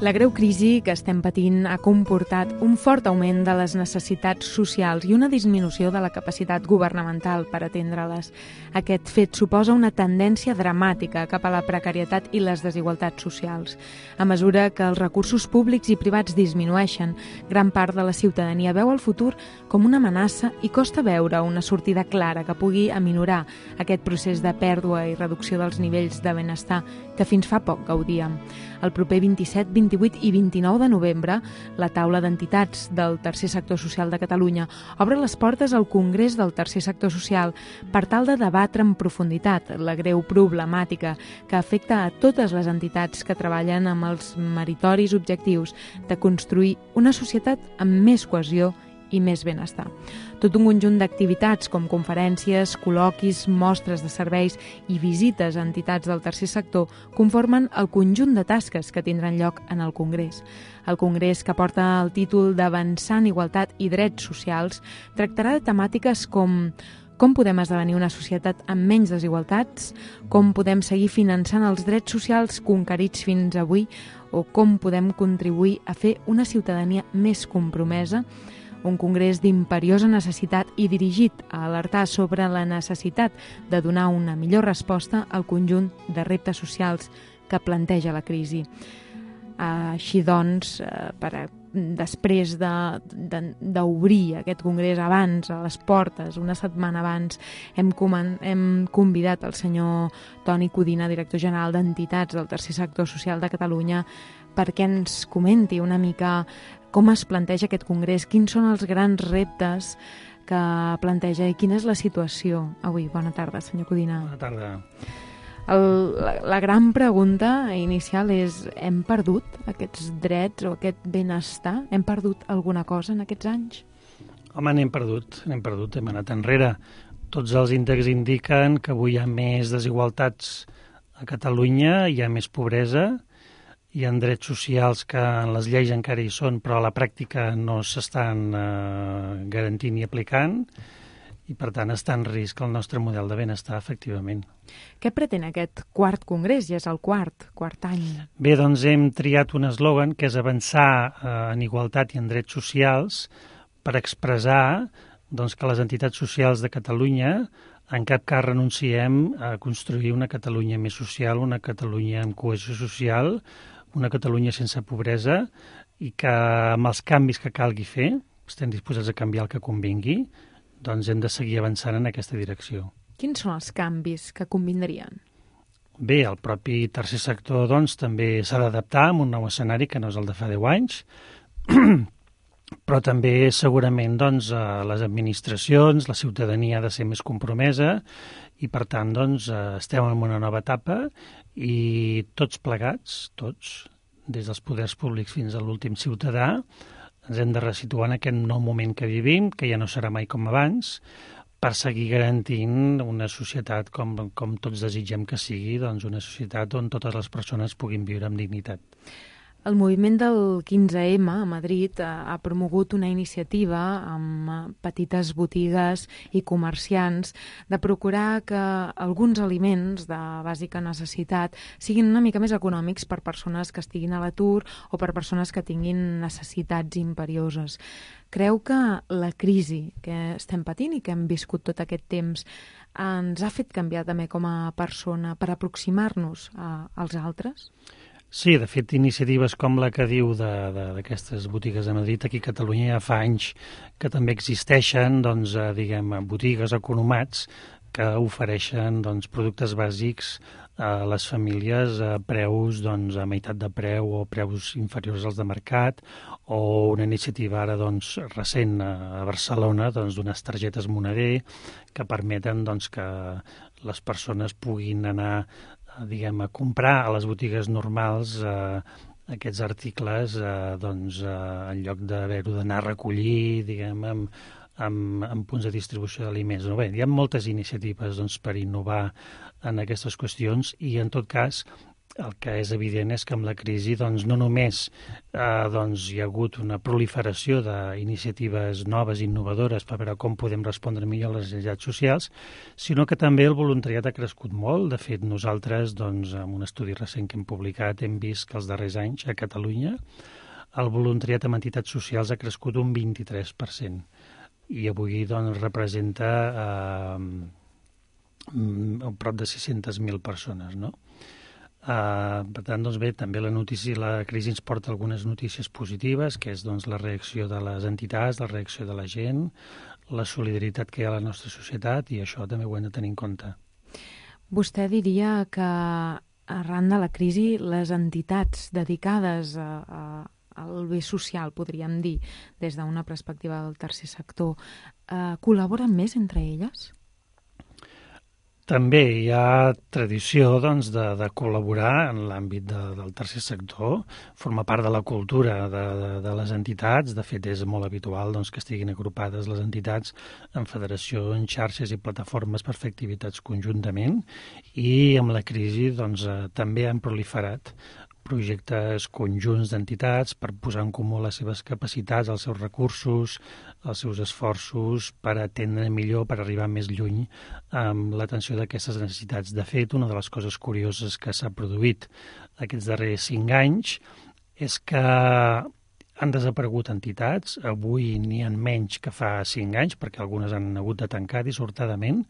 La greu crisi que estem patint ha comportat un fort augment de les necessitats socials i una disminució de la capacitat governamental per atendre-les. Aquest fet suposa una tendència dramàtica cap a la precarietat i les desigualtats socials. A mesura que els recursos públics i privats disminueixen, gran part de la ciutadania veu el futur com una amenaça i costa veure una sortida clara que pugui aminorar aquest procés de pèrdua i reducció dels nivells de benestar que fins fa poc gaudíem. El proper 27, 28 i 29 de novembre, la taula d'entitats del Tercer Sector Social de Catalunya obre les portes al Congrés del Tercer Sector Social per tal de debatre en profunditat la greu problemàtica que afecta a totes les entitats que treballen amb els meritoris objectius de construir una societat amb més cohesió i més benestar. Tot un conjunt d'activitats com conferències, col·loquis, mostres de serveis i visites a entitats del tercer sector conformen el conjunt de tasques que tindran lloc en el Congrés. El Congrés, que porta el títol d'Avançant Igualtat i Drets Socials, tractarà de temàtiques com podem esdevenir una societat amb menys desigualtats, com podem seguir finançant els drets socials conquerits fins avui o com podem contribuir a fer una ciutadania més compromesa. Un congrés d'imperiosa necessitat i dirigit a alertar sobre la necessitat de donar una millor resposta al conjunt de reptes socials que planteja la crisi. Així doncs, després d'obrir aquest congrés abans, a les portes, una setmana abans, hem convidat el senyor Toni Codina, director general d'Entitats del Tercer Sector Social de Catalunya, perquè ens comenti una mica com es planteja aquest congrés, quins són els grans reptes que planteja i quina és la situació avui. Bona tarda, senyor Codina. Bona tarda. La gran pregunta inicial és: hem perdut aquests drets o aquest benestar? Hem perdut alguna cosa en aquests anys? Home, n'hem perdut, hem anat enrere. Tots els índexs indiquen que avui hi ha més desigualtats a Catalunya, hi ha més pobresa, hi ha drets socials que en les lleis encara hi són, però a la pràctica no s'estan garantint i aplicant, i per tant està en risc el nostre model de benestar, efectivament. Què pretén aquest quart congrés? Ja és el quart any. Bé, doncs hem triat un eslògan que és avançar en igualtat i en drets socials per expressar doncs, que les entitats socials de Catalunya en cap cas renunciem a construir una Catalunya més social, una Catalunya amb cohesió social, una Catalunya sense pobresa, i que amb els canvis que calgui fer, estem disposats a canviar el que convingui, doncs hem de seguir avançant en aquesta direcció. Quins són els canvis que convindrien? Bé, el propi tercer sector doncs, també s'ha d'adaptar a un nou escenari que no és el de fa 10 anys, però també segurament doncs, les administracions, la ciutadania ha de ser més compromesa i per tant doncs, estem en una nova etapa i tots plegats, tots, des dels poders públics fins a l'últim ciutadà, ens hem de resituar en aquest nou moment que vivim, que ja no serà mai com abans, per seguir garantint una societat com tots desitgem que sigui, doncs una societat on totes les persones puguin viure amb dignitat. El moviment del 15M a Madrid ha promogut una iniciativa amb petites botigues i comerciants de procurar que alguns aliments de bàsica necessitat siguin una mica més econòmics per persones que estiguin a l'atur o per persones que tinguin necessitats imperioses. Creu que la crisi que estem patint i que hem viscut tot aquest temps ens ha fet canviar també com a persona per aproximar-nos als altres? Sí, de fet, iniciatives com la que diu d'aquestes botigues de Madrid, aquí a Catalunya ja fa anys que també existeixen, doncs, botigues economats que ofereixen productes bàsics a les famílies a preus a meitat de preu o preus inferiors als de mercat, o una iniciativa ara recent a Barcelona d'unes targetes moneder que permeten que les persones puguin anar a comprar a les botigues normals aquests articles en lloc d'haver-ho d'anar a recollir amb punts de distribució d'aliments. Bé, hi ha moltes iniciatives per innovar en aquestes qüestions i en tot cas el que és evident és que amb la crisi no només hi ha hagut una proliferació d'iniciatives noves i innovadores per veure com podem respondre millor a les necessitats socials, sinó que també el voluntariat ha crescut molt. De fet, nosaltres, en un estudi recent que hem publicat, hem vist que els darrers anys a Catalunya el voluntariat amb entitats socials ha crescut un 23% i avui representa prop de 600.000 persones, no? Per tant, bé, també la crisi ens porta algunes notícies positives, que és la reacció de les entitats, la reacció de la gent, la solidaritat que hi ha a la nostra societat, i això també ho hem de tenir en compte. Vostè diria que arran de la crisi les entitats dedicades al bé social, podríem dir, des d'una perspectiva del tercer sector, col·laboren més entre elles? També hi ha tradició de col·laborar en l'àmbit del tercer sector, forma part de la cultura de les entitats. De fet, és molt habitual que estiguin agrupades les entitats en federacions, xarxes i plataformes per fer activitats conjuntament, i amb la crisi també han proliferat projectes conjunts d'entitats per posar en comú les seves capacitats, els seus recursos, els seus esforços per atendre millor, per arribar més lluny amb l'atenció d'aquestes necessitats. De fet, una de les coses curioses que s'ha produït aquests darrers 5 anys és que han desaparegut entitats. Avui n'hi ha menys que fa 5 anys, perquè algunes han hagut de tancar dissortadament,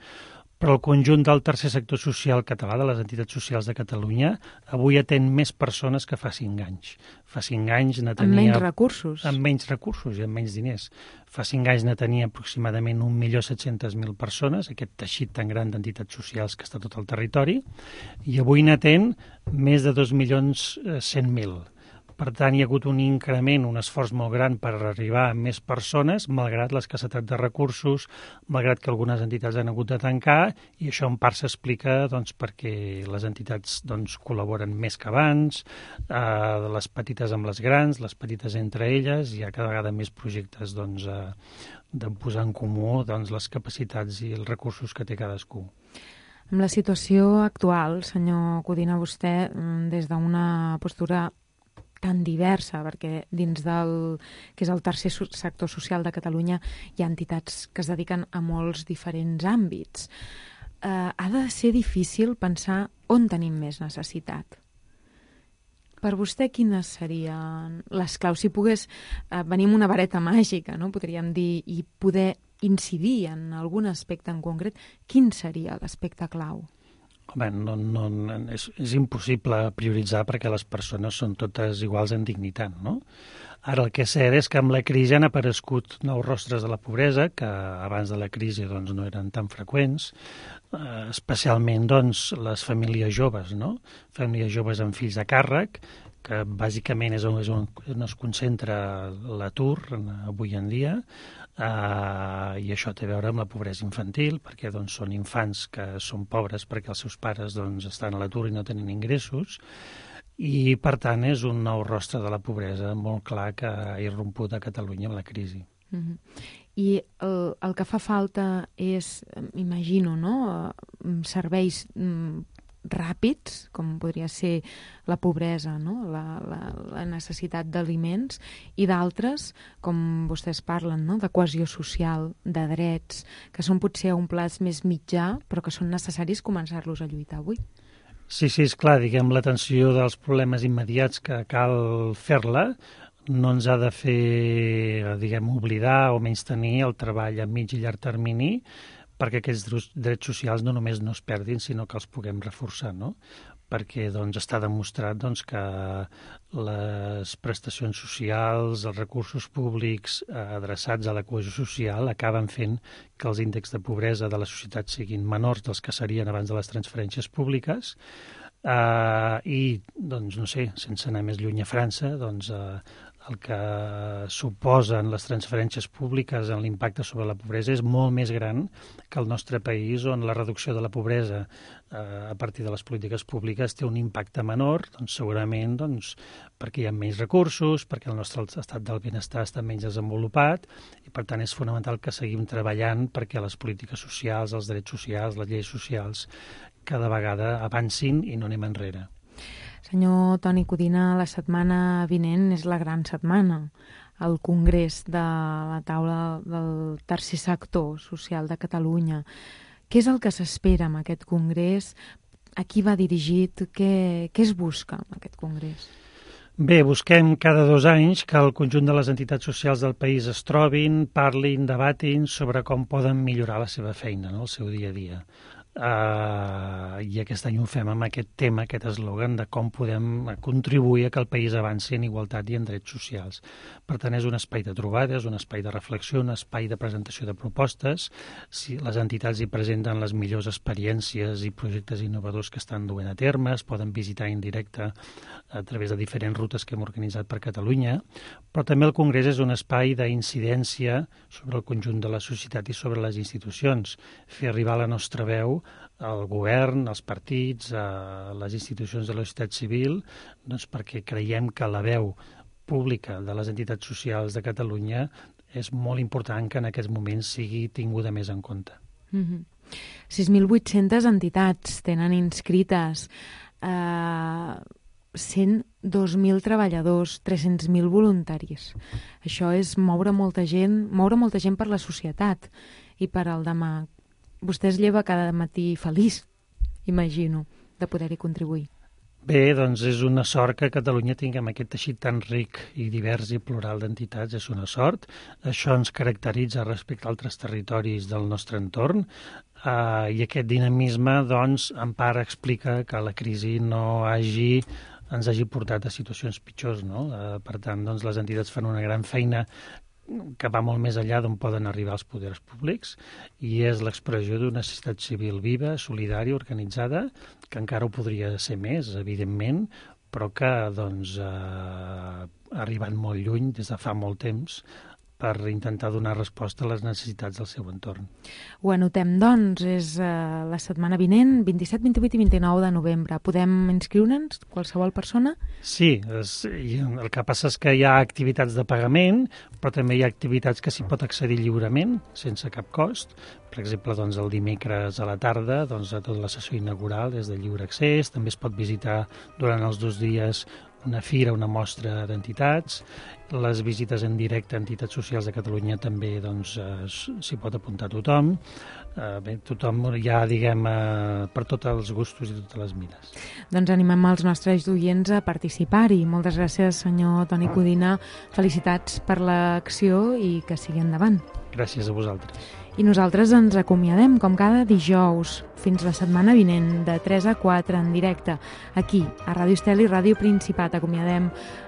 però el conjunt del tercer sector social català, de les entitats socials de Catalunya, avui atén més persones que fa 5 anys. Fa 5 anys ne tenia... Amb menys recursos. Amb menys recursos i amb menys diners. Fa 5 anys ne tenia aproximadament 1.700.000 persones, aquest teixit tan gran d'entitats socials que està a tot el territori, i avui n'atén més de 2.100.000. Per tant, hi ha hagut un increment, un esforç molt gran per arribar a més persones, malgrat l'escassetat de recursos, malgrat que algunes entitats han hagut de tancar, i això en part s'explica perquè les entitats col·laboren més que abans, les petites amb les grans, les petites entre elles, hi ha cada vegada més projectes de posar en comú les capacitats i els recursos que té cadascú. Amb la situació actual, senyor Codina, vostè, des d'una postura tan diversa, perquè dins del que és el tercer sector social de Catalunya hi ha entitats que es dediquen a molts diferents àmbits. Ha de ser difícil pensar on tenim més necessitat. Per vostè, quines serien les claus? Si pogués venir amb una vareta màgica, no? Podríem dir, i poder incidir en algun aspecte en concret, quin seria l'aspecte clau? Home, és impossible prioritzar perquè les persones són totes iguals en dignitat, no? Ara, el que és cert és que amb la crisi han aparegut nous rostres de la pobresa, que abans de la crisi no eren tan freqüents, especialment les famílies joves, no? Famílies joves amb fills a càrrec, que bàsicament és on es concentra l'atur avui en dia, i això té a veure amb la pobresa infantil, perquè són infants que són pobres perquè els seus pares estan a l'atur i no tenen ingressos, i per tant és un nou rostre de la pobresa molt clar que ha irromput a Catalunya amb la crisi. I el que fa falta és, imagino, no? Serveis ràpids, com podria ser la pobresa, no? la necessitat d'aliments, i d'altres, com vostès parlen, no? De cohesió social, de drets, que són potser a un plaç més mitjà, però que són necessaris començar-los a lluitar avui. Sí, és clar, l'atenció dels problemes immediats que cal fer-la no ens ha de fer, oblidar o menystenir el treball a mig i llarg termini, perquè aquests drets socials no només no es perdin, sinó que els puguem reforçar, no? Perquè està demostrat que les prestacions socials, els recursos públics adreçats a la cohesió social acaben fent que els índexs de pobresa de la societat siguin menors dels que serien abans de les transferències públiques, i, sense anar més lluny a França, el que suposen les transferències públiques en l'impacte sobre la pobresa és molt més gran que el nostre país, on la reducció de la pobresa a partir de les polítiques públiques té un impacte menor, segurament perquè hi ha menys recursos, perquè el nostre estat del benestar està menys desenvolupat, i per tant és fonamental que seguim treballant perquè les polítiques socials, els drets socials, les lleis socials cada vegada avancin i no anem enrere. Senyor Toni Codina, la setmana vinent és la gran setmana, el Congrés de la taula del tercer sector social de Catalunya. Què és el que s'espera amb aquest Congrés? A qui va dirigit? Què es busca amb aquest Congrés? Bé, busquem cada 2 anys que el conjunt de les entitats socials del país es trobin, parlin, debatin sobre com poden millorar la seva feina, no? El seu dia a dia. I aquest any ho fem amb aquest tema, aquest eslògan de com podem contribuir a que el país avanci en igualtat i en drets socials. Per tant, és un espai de trobades, un espai de reflexió, un espai de presentació de propostes. Si les entitats hi presenten les millors experiències i projectes innovadors que estan duent a terme, es poden visitar en directe a través de diferents rutes que hem organitzat per Catalunya, però també el Congrés és un espai d'incidència sobre el conjunt de la societat i sobre les institucions, fer arribar la nostra veu al govern, als partits, a les institucions de la societat civil, perquè creiem que la veu pública de les entitats socials de Catalunya és molt important que en aquests moments sigui tinguda més en compte. 6.800 entitats tenen inscrites, 102.000 treballadors, 300.000 voluntaris. Això és moure molta gent per la societat i per al demà. Vostè es lleva cada matí feliç, imagino, de poder-hi contribuir. Bé, doncs és una sort que a Catalunya tinguem aquest teixit tan ric i divers i plural d'entitats, és una sort. Això ens caracteritza respecte a altres territoris del nostre entorn i aquest dinamisme, doncs, en part explica que la crisi no ens hagi portat a situacions pitjors, no? Per tant, doncs, les entitats fan una gran feina que va molt més enllà d'on poden arribar els poders públics i és l'expressió d'una societat civil viva, solidària, organitzada, que encara ho podria ser més, evidentment, però que doncs, ha arribat molt lluny des de fa molt temps per intentar donar resposta a les necessitats del seu entorn. Ho anotem, doncs, és la setmana vinent, 27, 28 i 29 de novembre. Podem inscriure'ns, qualsevol persona? Sí, el que passa és que hi ha activitats de pagament, però també hi ha activitats que s'hi pot accedir lliurement, sense cap cost. Per exemple, doncs, el dimecres a la tarda, doncs, tota la sessió inaugural és de lliure accés, també es pot visitar durant els 2 dies una fira, una mostra d'entitats. Les visites en directe a entitats socials de Catalunya també doncs, s'hi pot apuntar tothom. Bé, tothom ja, diguem, per tots els gustos i totes les mires. Doncs animem els nostres oients a participar-hi. Moltes gràcies, senyor Toni Codina. Felicitats per l'acció i que sigui endavant. Gràcies a vosaltres. I nosaltres ens acomiadem, com cada dijous, fins la setmana vinent, de 3 a 4, en directe, aquí, a Ràdio Estel i Ràdio Principat. Acomiadem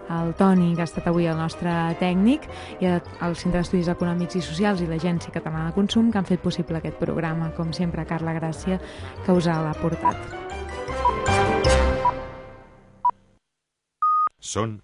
el Toni, que ha estat avui el nostre tècnic, i el Centre d'Estudis Econòmics i Socials i l'Agència Catalana de Consum, que han fet possible aquest programa. Com sempre, Carla Gràcia, que us l'ha portat. Són